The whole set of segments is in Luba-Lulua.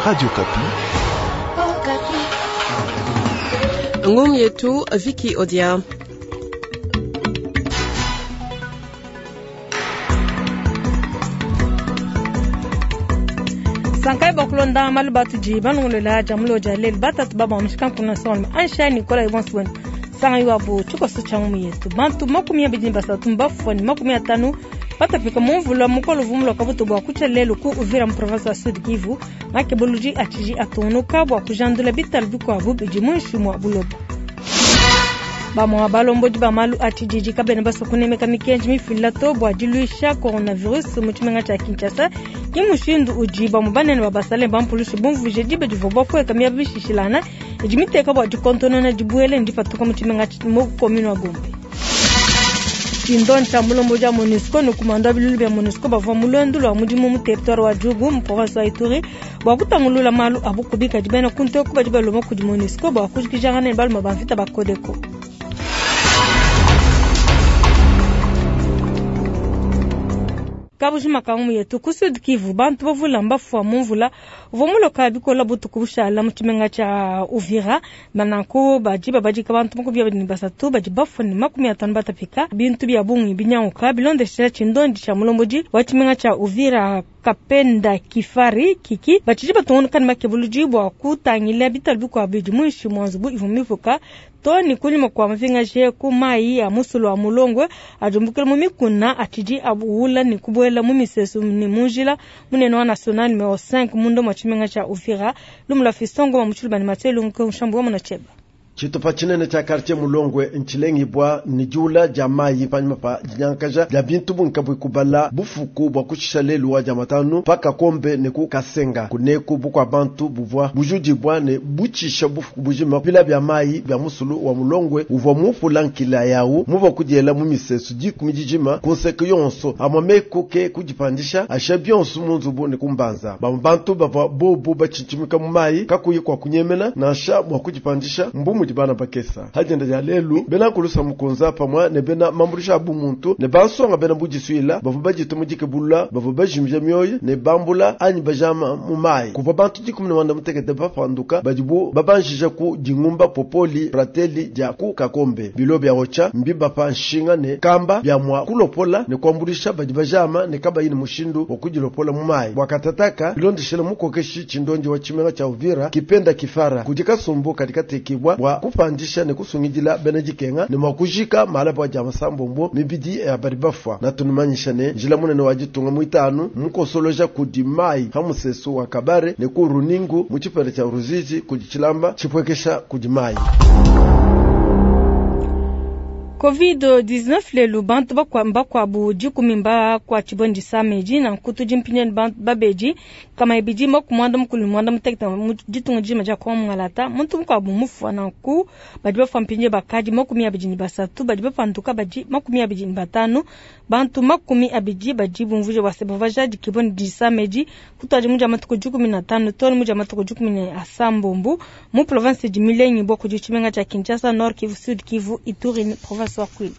Radio Kapi. Ngumu yetu Viki Odia. Sankai bakulonda malu batudi banongolola jamulo ja lelu batatu baba mushika son ansha Nicola Ibonswen sanga iwabu tshikoso tshia ngumu yetu bantu 23 mbafua ne 50 batapika mu mvula mukolo vumulo kabutu bua kutshia lelu ku Uvira mu province wa Sud Kivu makebuluji atshidi atungunuka bua kujandula bitalu bikuabu bidi muinshi mua buloba. Bamwa balombodi ba malu a tshididi kabena basua kunemeka mikenji mifila to bua diluisha coronavirus mu tshimenga tshia Kinshasa. Ke mushindu udi bamue banene ba basale bampulushe bumvuije diba divua bapueka miaba mishishilangana idi miteka bua dikontonona dibuele ne dipatuka mu tshimenga mu commune wa Gombe. Tshindo tshia mulombodi wa MONUSCO ne kumanda wa bilulu bia MONUSCO bavua mu luendu lua mudimu mu territoire wa Djugu mu province wa Ituri bua kutangulula malu a bukubi kadi bena kunteku badi balomba kudi MONUSCO bua kujikijangana ne balume ba mvita ba Codeco. Kabujima ka ngumu yetu ku Sud Kivu bantu bavula mbafua mu mvula uvua muloka bikola butuku bushala mu tshimenga tshia Uvira bananku badi babadika bantu 23 badi bafua ne 50 batapika bintu bia bungi binyanguka bilondeshela tshindondi tshia mulombodi wa tshimenga tshia Uvira Kapenda Kifari Kiki batshidi batungunuka ne makebuludi bua kutangila bitalu bikuabu bidi muinshi mua nzubu ivua mipuka to ne kunyima kua mapingaje ku mayi ya musulu wa Mulongwe adumbukila mu mikuna atshidi abuwula ne kubuela mu misesu ne mu njila munene wa national numero 5 munda mua tshimenga tshia Uvira. Lumu lua Fiston Ngoma mu Tshiluba ne Mathieu Lungu Nshambu wa Munacheba. Tshitupa tshinene tshia quartier Mulongwe ntshilengibua ne diula dia mayi panyima pa dinyankaja dia bintu bungi kabui kubala bufuku bua kushisha lelu wa dia matanu pa Kakombe ne ku Kasenga. Kuneku bukua bantu buvua bujudibua ne butshisha bufuku bujima bila bia mayi bia musulu wa Mulongwe uvua mupula nkila yawu muvua kudiela mu misesu 10 dijima ku nseke yonso amwa meku ke kudipandisha asha bionso mu nzubu ne kumbanza. Bamwe bantu bavua bobu batshintshimika mu mayi kakuyi kwa kunyemena nansha mua kudipandisha mbu mudi bana bakesa. Hajenda dia lelu bena kulusa mukunza pamwa ne bena mambulisha abu muntu ne bansonga bena budisuila bavua bajita mu dikebulula bavua bajimija mioyo ne bambula anyi bajama mu mayi. Kuvua bantu 16 bapanduka badibu babanjija ku dingumba popoli prateli dia ku Kakombe. Bilo bia ocha mbiba pa nshinga ne kamba bia mwa kulopola ne kuambulisha badi bajama ne kabayi ne mushindu wa kudilopola mu mayi. Bwakatataka bilondeshela mukokeshi tshindondi wa tshimenga tshia Uvira Kipenda Kifara kudi kasumbu kadikatekibwa bua kupandisha ne kusungidila bena dikenga ne mua kujika malaba dia masambombo mibidi ya badi bafua. Na tunumanyisha ne njila munene wa ditunga muitanu mukosoloja kudi mayi ha musesu wa Kabare ne ku Runingu mu tshipela tshia Ruzizi kudi tshilamba tshipwekesha kudi mayi. Covid-19 lelu bantu bakwabu 10 mbakwa tshibondi sameji na nkutu dimpinyeni bantu babedi kama ibidi makumwanda mukulu mwanda muteketa mu ditunga dima dia kwa mungalata muntu mukwabu mufua na nku badi bafua mpinye bakadi 23 badi bapanduka badi 25 bantu 20 badi bumvuje bwase bavaja dikibondi disameji kutwaji muja matuku 15 toni muja matuku 16 mu province di Milenyi bwa kudi tshimenga tshia Kinshasa, Nord Kivu, Sud Kivu, Ituri province wa Kwilu.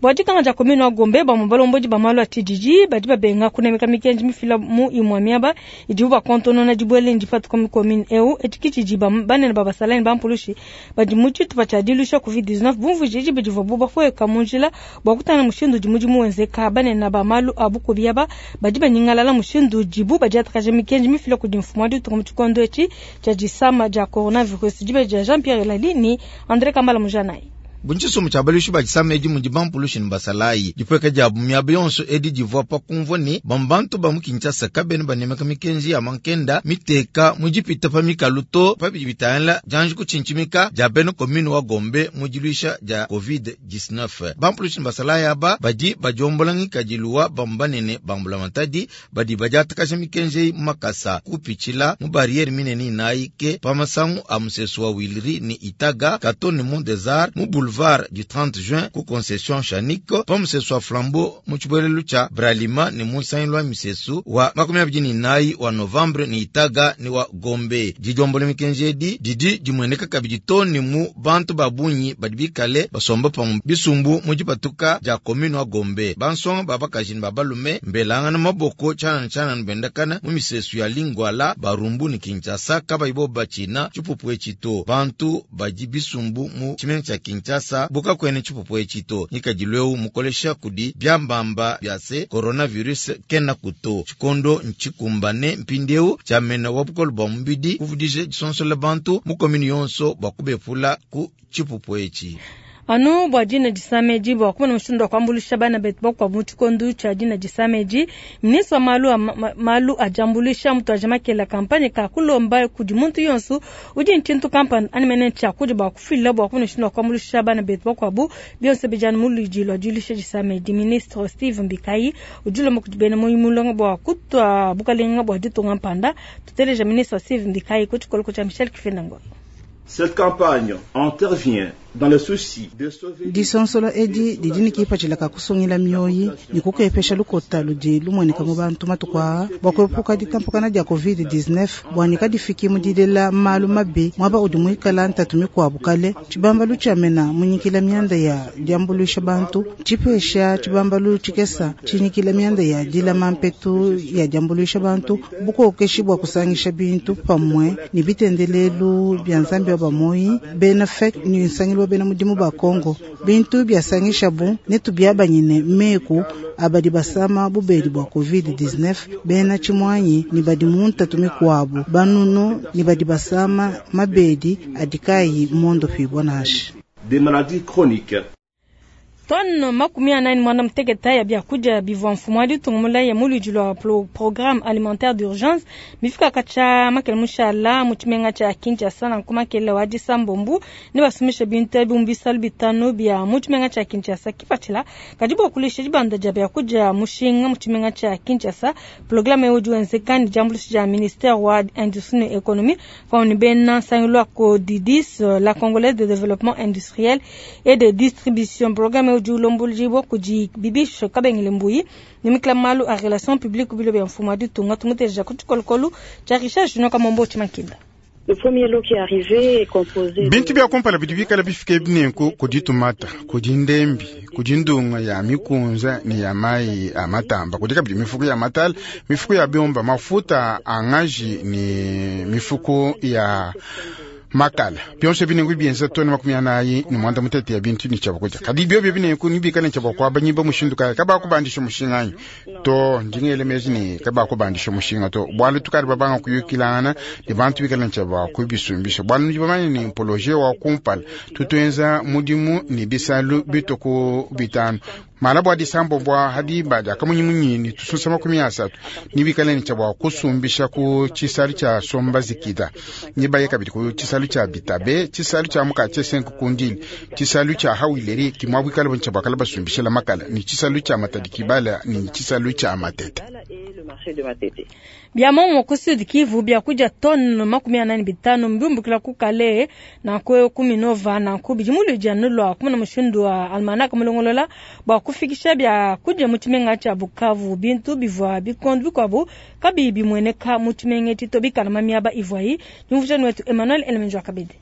Bua dikanga dia commune wa Gombe bamwe balombodi ba malu a tshididi badi babenga kunemeka mikenji mifila mu imue miaba idibu bakontonona dibuele ndipatuka mu commune eu etshi tshidi banene ba basalani ba mpulushi badi mu tshitupa tshia diluisha Covid-19 bumvuije diba divuabu bapueka mu njila bua kutanga mushindu udi mudimu wenzeka. Banene ba malu a bukubi aba badi banyingalala mushindu udibu badiatakaja mikenji mifila kudi mfumu wa ditunga mu tshikondo etshi tshia disama dia coronavirus. Diba dia Jean-Pierre Elali ni André Kambala Mujanai. Buntshisomo tshia baluishi ba disama edi mudi bampulushi ne basalayi. Dipweka dia miaba yonso edi divua pa kumvua ne bambantu ba mu Kinshasa kabena banemeka mikenji ya mankenda miteka mu dipita pa mikalu to pa bidi bitangila dianji kutshintshimika dia bena commune wa Gombe mu diluisha dia Covid-19. Bampulushi ne basalayi aba badi badiombola ngikadilu wa bambanene bambula matadi badi badiatakaja mikenji mu makasa kupitshila mu barriere minene inayi ke pa masangu a musesu wa Wilri ne Itaga Kato ne Mont des Arts mu boulevard. Boulevard du 30 juin ku Concession Chanic, pa musesu wa Flambeau mu tshibuelelu tshia Bralima ne mu nsangilu wa misesu wa 24 wa Novembre ne Itaga ne wa Gombe. Didiombola mikenji edi didi dimueneka kabidi too ne mu bantu ba bungi badi bikale basomba pamue bisumbu mu dipatuka dia commune wa Gombe. Bansonga ba bakaji ne ba balume mbelangana maboko tshianana tshianana bendakana mu misesu ya Lingwala, Barumbu ne Kinshasa kabayi bobu batshina tshipupu etshi to. Bantu badi bisumbu mu tshimenga tshia Kinshasa bu kakuena tshipupu etshi to. Ngikadilu eu mukolesha kudi biambamba bia se coronavirus kenaku to. Tshikondo ntshikumbane mpindieu tshia mena wa bukole bua mubidi kuvudija disonsola bantu mu commune yonso bua kubepula ku tshipupu etshi. Anu bua dina disama edi, bua kumona mushindu wa kuambuluisha bana betu bakuabu mu tshikondo tshia dina disama edi, ministre wa malu a malu a diambuluisha mutuaje makela kampanye ka kulomba kudi muntu yonso udi ne tshintu kampanda anyi mene tshiakudia bua kufila bua kumona mushindu wa kuambuluisha bana betu bakuabu. Bionso bidi anu mu luidi lua diluisha disama edi. Ministre Steve Mbikayi udi ulomba kudi bena muoyo mulonga bua kutua bukalenga bua ditunga mpanda. Tuteleja ministre Steve Mbikayi ku tshikoloko tshia Michel Kifenda Ngolo. Cette campagne intervient dans le souci de sauver Disonsola edi didi ne kipatshila ka kusungila mioyi ne kukepesha lukota ludi lumueneka mu bantu matuku aa bua kuepuka ditampakana dia Covid-19 bua ne kadifiki mu dilela malu mabi muaba udi muikala ntatu mikuabu kale. Tshibambalu tshia mena munyikila mianda ya diambuluisha bantu tshipesha tshibambalu tshikesa tshinyikila mianda ya dilama mpetu ya diambuluisha bantu bukokeshi bua kusangisha bintu pamue ne bitendelelu bia Nzambi wa bamoyi bena FEC ne nsangilu wa bena mudimu ba Kongo. Bintu biasangishabu netubiabanyine meku abadi basama bubedi bua Covid-19 bena tshimuanyi ne badi mu ntatu mikuabu banunu ne badi basama mabedi adi kayi mondopibua nansha. des maladies chroniques. Tonne 46 ya biakudia bivua mfumu wa ditunga mulaye mu luidi lua programme alimentaire d'urgence bifika katshia makele mushala mu tshimenga tshia Kinshasa. Nanku makele wa disambombu ne basumisha bintu ebi mu bisalu bitanu bia mu tshimenga tshia Kinshasa. Kipatshila kadi bua kulisha dibanda dia biakudia mushinga mu tshimenga tshia Kinshasa. Programme eu udi wenzeka ne diambuluisha dia ministère wa industrie ne économie pamue ne bena nsangilu wa Codidis, la Congolaise de développement industriel et de distribution. Programme eu udi ulombolibua kudi Bibiche Kabengele Mbuyi ne mikila malu a relation publique bilo bia mfumu wa ditunga. Tumuteja ku tshikolokolo tshia Richard Junior Kamombo Tshimakinda. Le premier lot qui est arrivé est composé Bintu bia kumpala bidi bikala bifike binenku kudi tumata, kudi ndembi, kudi ndunga ya mikunza ne ya mai a matamba, kudi kabidi mifuku ya matala, mifuku ya biomba, mafuta a ngaji ne mifuku ya makala. Bionso binenku bienza tone 48 ya bintu ni chabakuja. Kadi bio binenku nibikala nchabakwaba nyimba mushindu kaya kaba kubandisha mushinga to ndingele mezi ni kaba kubandisha mushinga to bwalu tukari babanga kuyukilana ne bantu bikala nchaba kubisumbisha bwalu nibamanye ni mpoloje wa kumpala tutuenza mudimu ni bisalu bituku bitano mala bwa disambo bwa hadiba dia kamunyimunyi ni tususa 30 nibikala ni kusumbisha ku chisalu cha somba zikida nibaye kabidi ku chisalu cha bitabe, chisalu cha mukache senku kundili, chisalu cha hawileri kimwabwikala boncha bakala basumbisha la makala ni chisalu cha matadi kibala ni chisalu cha matete. Bia momo ku Sud Kivu biakudia tonne 45 mbiumbukila ku Kale na ku Kuminova na ku bidi muludia nulwa kumuna mushindu wa almanaka mulongolola bua kufikisha biakudia mu tshimenga tshia Bukavu. Bintu bivua bikondo bikuabu kabiyi bimueneka mu tshimenga etshi to bikala mamiaba ivuayi. Diumvuija wetu Emmanuel Elemenjo Akabede.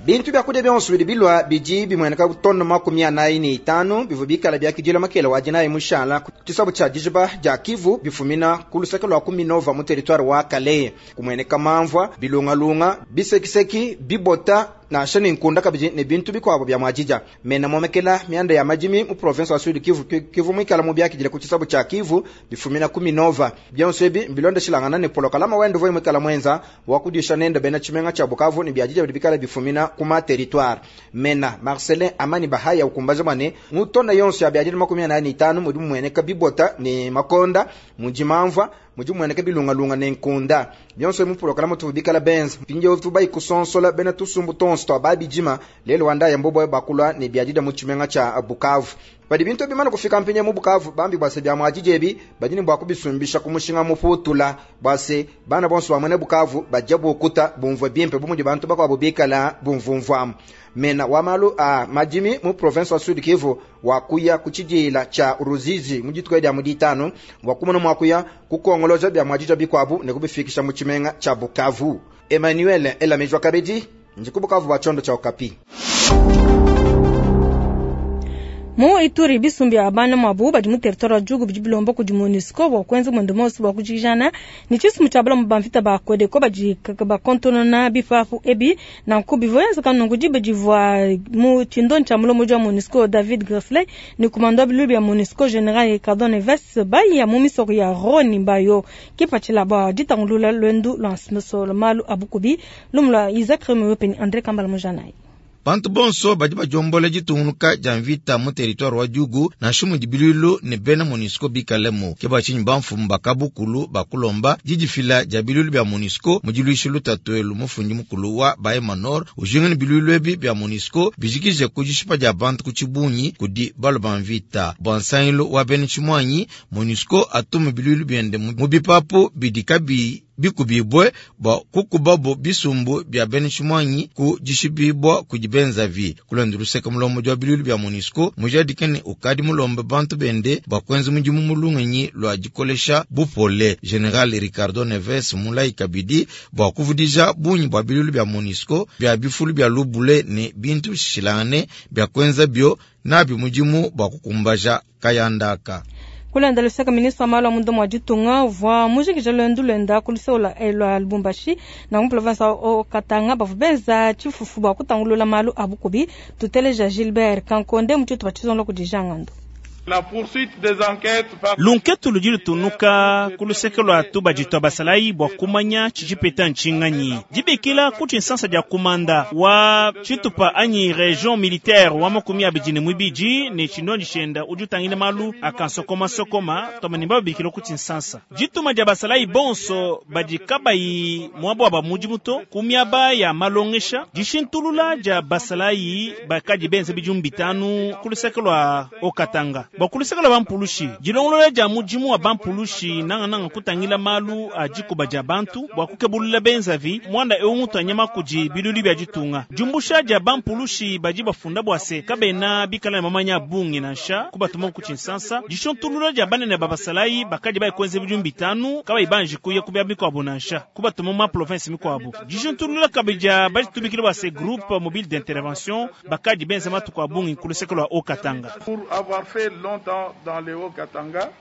Bintu byakudia bionso bidi bilwa bidi bimueneka tonne 45 bivua bikala biakidila makela wa dinayi mushala tshisabu tshia dijiba dia Kivu bifumina ku luseke lua Kuminova mu territoire wa Kalehe. Kumueneka mamvua, bilungalunga, bisekiseki, bibota nansha ne nkunda kabidi ne bintu bikuabo bia muadija. Mena momekela mianda ya madimi mu province wa Sud Kivu Kivu mwikala mu biakidila ku tshisabu tshia Kivu bifumina Kuminova. Bionso ebi mbilondeshilangana ne polokalama wendo voi mwikala mwenza wa kudisha nenda bena tshimenga tshia Bukavu ne biadija bidi bikala bifumina kuma territoire. Mena Marcelin Amani Bahaya ukumbaja mwane mutona yonso ya biadija 45 mudi mweneka bibota ne makonda mudi mamvua mudi mweneka bilungalunga ne nkunda. Bionso mu polokalama tu bikala benza pinje tubai kusonsola bena tusumbu tonso twa babijima lelo wanda ya mbobo bakulwa ne biadida mu tshimenga tshia Bukavu. Padi bintu bimane kufika mpinye mu Bukavu, bambi bua se bia muadidi ebi badi ne bua kubisumbisha ku mushinga muputula bua se bana bonso bamwene Bukavu badia bukuta bumvue bimpe bu mudi bantu bakuabu bikala bumvumvuamu. Mena wa malu a madimi mu province wa Sud Kivu wakuya ku tshidila tshia Ruzizi mu dituku dia mu ditanu bua kumona mua kuya kukongoloja bia muadidi bikuabu ne kubifikisha mu tshimenga tshia Bukavu. Emmanuel Elamejwa Kabedi ndi ku Bukavu bua tshiondo tshia Okapi. Mu Ituri bisumbi bia bana mwabu badi mu territoire wa Djugu bidi bilomba kudi MONUSCO bua kuenza mwendo monso bua kujikijana ne tshisumbu tshia balamu ba mvita ba Codeco badi bakontonona bipapu ebi nanku bivua enzeka nunku diba divua mu tshindonyi tshia mulombodi wa MONUSCO David Gressler ne kumando wa biluilu bia MONUSCO General Ricardo Neves baya mu misoko ya Roni Bayo kipatshila bua ditangulula lwendu lua nsolo malu a bukubi lumu lua Isaac Remy peni André Kambala Mujanai. Bantu bonso badi badiombola ditungunuka dia mvita mu territoire wa Djugu nansha mudi biluilu ne bena MONUSCO bikalemu. Ke bua tshinyi bamfumu ba kabukulu bakulomba didifila dia biluilu bia MONUSCO mu diluisha lutatu elu. Mufundi mukulu wa Bahema Nord ujinga ne biluilu ebi bia MONUSCO bijikije ku dishipa dia bantu ku tshibungi kudi balu ba mvita. Bua nsangilu wa bena tshimuanyi, MONUSCO atume biluilu biende mu bipapu bidi kabiyi bikubibwe bua kukubabo bisumbu bia bena tshimuanyi ku dishipibua kudi benzavi. Kulonda luseke mulombodi wa biluilu bia MONUSCO mujadike ne ukadi mulombe bantu bende bua kuenza mudimu mu lungenyi lua dikolesha bupole. General Ricardo Neves mulayi kabidi bua kuvudija bungi bua biluilu bia MONUSCO bia bifulu bia lubule ne bintu bishilangane bia kuenza bio nabi mudimu bua kukumbaja kayandaka. Kulanda luseka ministre wa malu a munda mua ditunga uvua mujikija luendu luenda ku luseke lua Lubumbashi na mu province wa Katanga bavua benza tshifufu bua kutangulula malu a bukubi. Tuteleja Gilbert Kankonde mu tshitupa tshizonga kudi Jean Ngando. La poursuite des enquêtes par Lunketu ludi lutunuka ku luseke lua tubadi tua basalayi bua kumanya tshijipeta ntshinganyi dibikila ku tshinsansa dia kumanda wa tshitupa anyi region militaire wa 22 ne tshindondi tshenda udi utangila malu akansokomasokoma tomane babikila ku tshinsansa dituma dia basalayi bonso badi kabayi muaba wa bamudimu to ku miaba ya malongesha dishintulula dia basalayi bakadi benza bidimu bitanu ku luseke lua Haut-Katanga. Bua ku luseke lua bampulushi dilongolola dia mudimu wa bampulushi nangananga kutangila malu a dikuba dia bantu bua kukebulula benzavi muanda eu mutu anyama kudi biluilu bia ditunga. Diumbusha dia bampulushi badi bafunda bua se kabena bikala ne mamanya a bungi nansha kubatuma ku tshinsansa. Dishuntulula dia banene ba basalayi bakadi bayi kuenza bidimu bitanu kabayi banji kuya ku miaba mikuabu nansha kubatuma mu ma province mikuabu. Dishuntulula kabidi dia baditumikile bua se groupe mobile d'intervention bakadi benza matuku a bungi ku luseke lua Haut-Katanga. Pour avoir fait longtemps dans le Haut-Katanga.